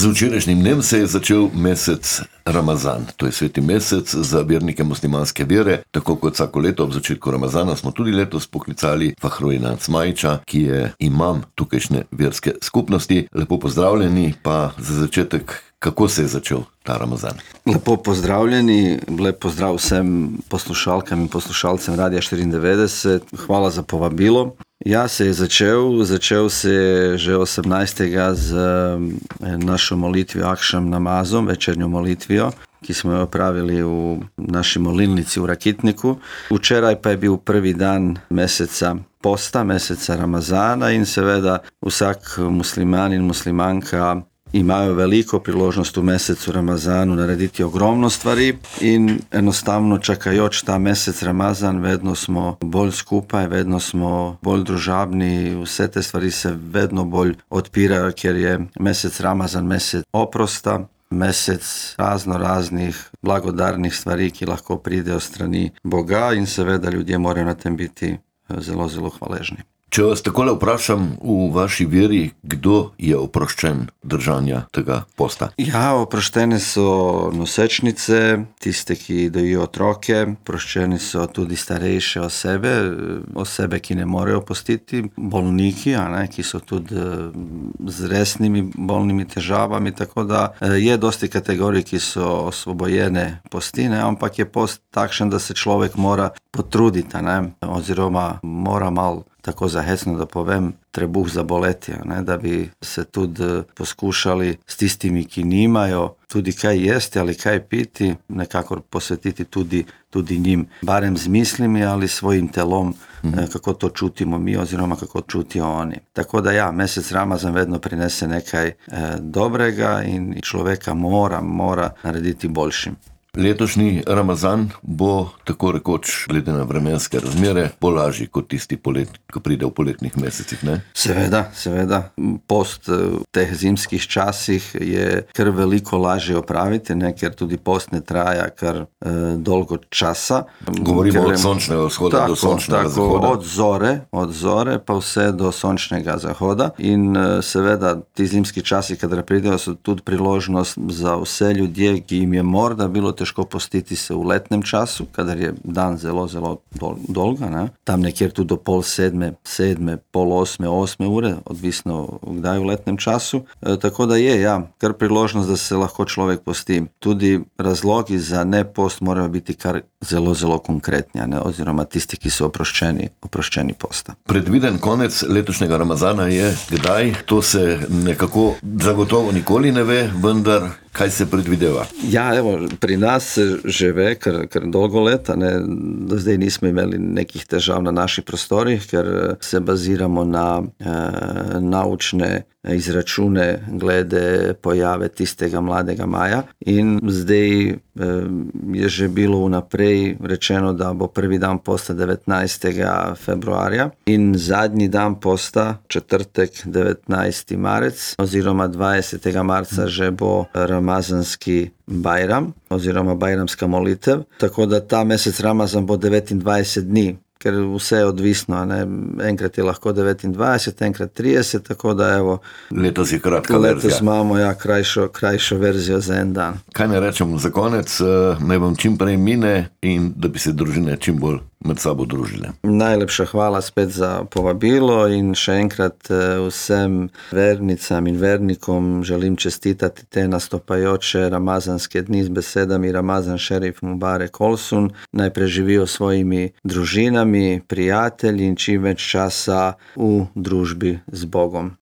Z včerajšnjim dnem se je začel mesec Ramazan. To je sveti mesec za vernike muslimanske vere. Tako kot vsako leto ob začetku Ramazana smo tudi letos poklicali Fahrojina Cmajića, ki je imam tukajšnje verske skupnosti. Lepo pozdravljeni, pa za začetek, kako se je začel ta Ramazan? Lepo pozdravljeni, lep pozdrav vsem poslušalkam in poslušalcem Radia 94. Hvala za povabilo. Ja, se je začel se je že 18. z našo molitvijo Akšam namazom, večernjo molitvijo, ki smo jo opravili v naši molilnici v Rakitniku. Včeraj pa je bil prvi dan meseca posta, meseca Ramazana in seveda vsak musliman in muslimanka imajo veliko priložnost v mesecu Ramazanu narediti ogromno stvari in enostavno čakajoč ta mesec Ramazan vedno smo bolj skupaj, vedno smo bolj družabni, vse te stvari se vedno bolj odpirajo, ker je mesec Ramazan mesec oprosta, mesec raznih blagodarnih stvari, ki lahko pridejo strani Boga in seveda ljudje morajo na tem biti zelo, zelo hvaležni. Če vas takole vprašam v vaši veri, kdo je oproščen držanja tega posta? Ja, oproščene so nosečnice, tiste, ki dojijo otroke, oproščeni so tudi starejše osebe, ki ne morejo postiti, bolniki, ki so tudi z resnimi bolnimi težavami, tako da je dosti kategorij, ki so osvobojene posti, ampak je post takšen, da se človek mora potruditi, oziroma mora malo, tako zahecno da povem, trebuh zaboleti, da bi se tudi poskušali s tistimi, ki nimajo tudi kaj jesti ali kaj piti, nekako posvetiti tudi njim, barem z mislimi ali svojim telom, kako to čutimo mi oziroma kako čutijo oni. Tako da ja, mesec Ramazan vedno prinese nekaj dobrega in človeka mora narediti boljšim. Letošnji Ramazan bo tako rekoč, glede na vremenske razmere, lažji kot tisti ko pride v poletnih mesecih, ne? Seveda. Post v teh zimskih časih je kar veliko lažje opraviti, ker tudi post ne traja kar dolgo časa. Govorimo od sončnega vzhoda do sončnega zahoda. Od zore pa vse do sončnega zahoda in seveda ti zimski časi, kadar pridejo, so tudi priložnost za vse ljudje, ki jim je morda bilo težko postiti se v letnem času, kadar je dan zelo, zelo dolga, tam nekjer tudi do 7, pol 8 ure, odvisno kdaj v letnem času. Tako da je, kar priložnost, da se lahko človek posti. Tudi razlogi za ne post morajo biti kar zelo, zelo konkretni, oziroma tisti, ki so oproščeni posta. Predviden konec letošnjega Ramazana je kdaj? To se nekako zagotovo nikoli ne ve, vendar kaj se predvideva? Ja, pri nas se že ve kar dolgo leta, do zdaj nismo imeli nekih težav na naših prostorih, ker se baziramo na naučne izračune glede pojave tistega mladega maja in zdaj je že bilo vnaprej rečeno, da bo prvi dan posta 19. februarja in zadnji dan posta, četrtek 19. marec oziroma 20. marca že bo ramazanski bajram oziroma bajramska molitev, tako da ta mesec Ramazan bo 29 dni, ker vse je odvisno, enkrat je lahko 29, enkrat 30, tako da letos je kratka verzija. Letos imamo krajšo verzijo za en dan. Kaj ne rečem za konec, naj vam čim prej mine in da bi se družine čim bolj med sabo družile. Najlepša hvala spet za povabilo in še enkrat vsem vernicam in vernikom želim čestitati te nastopajoče ramazanske dni z besedami Ramazan Šerif Mubarek Olsun. Naj preživijo svojimi družinami, prijatelji in čim več časa v družbi z Bogom.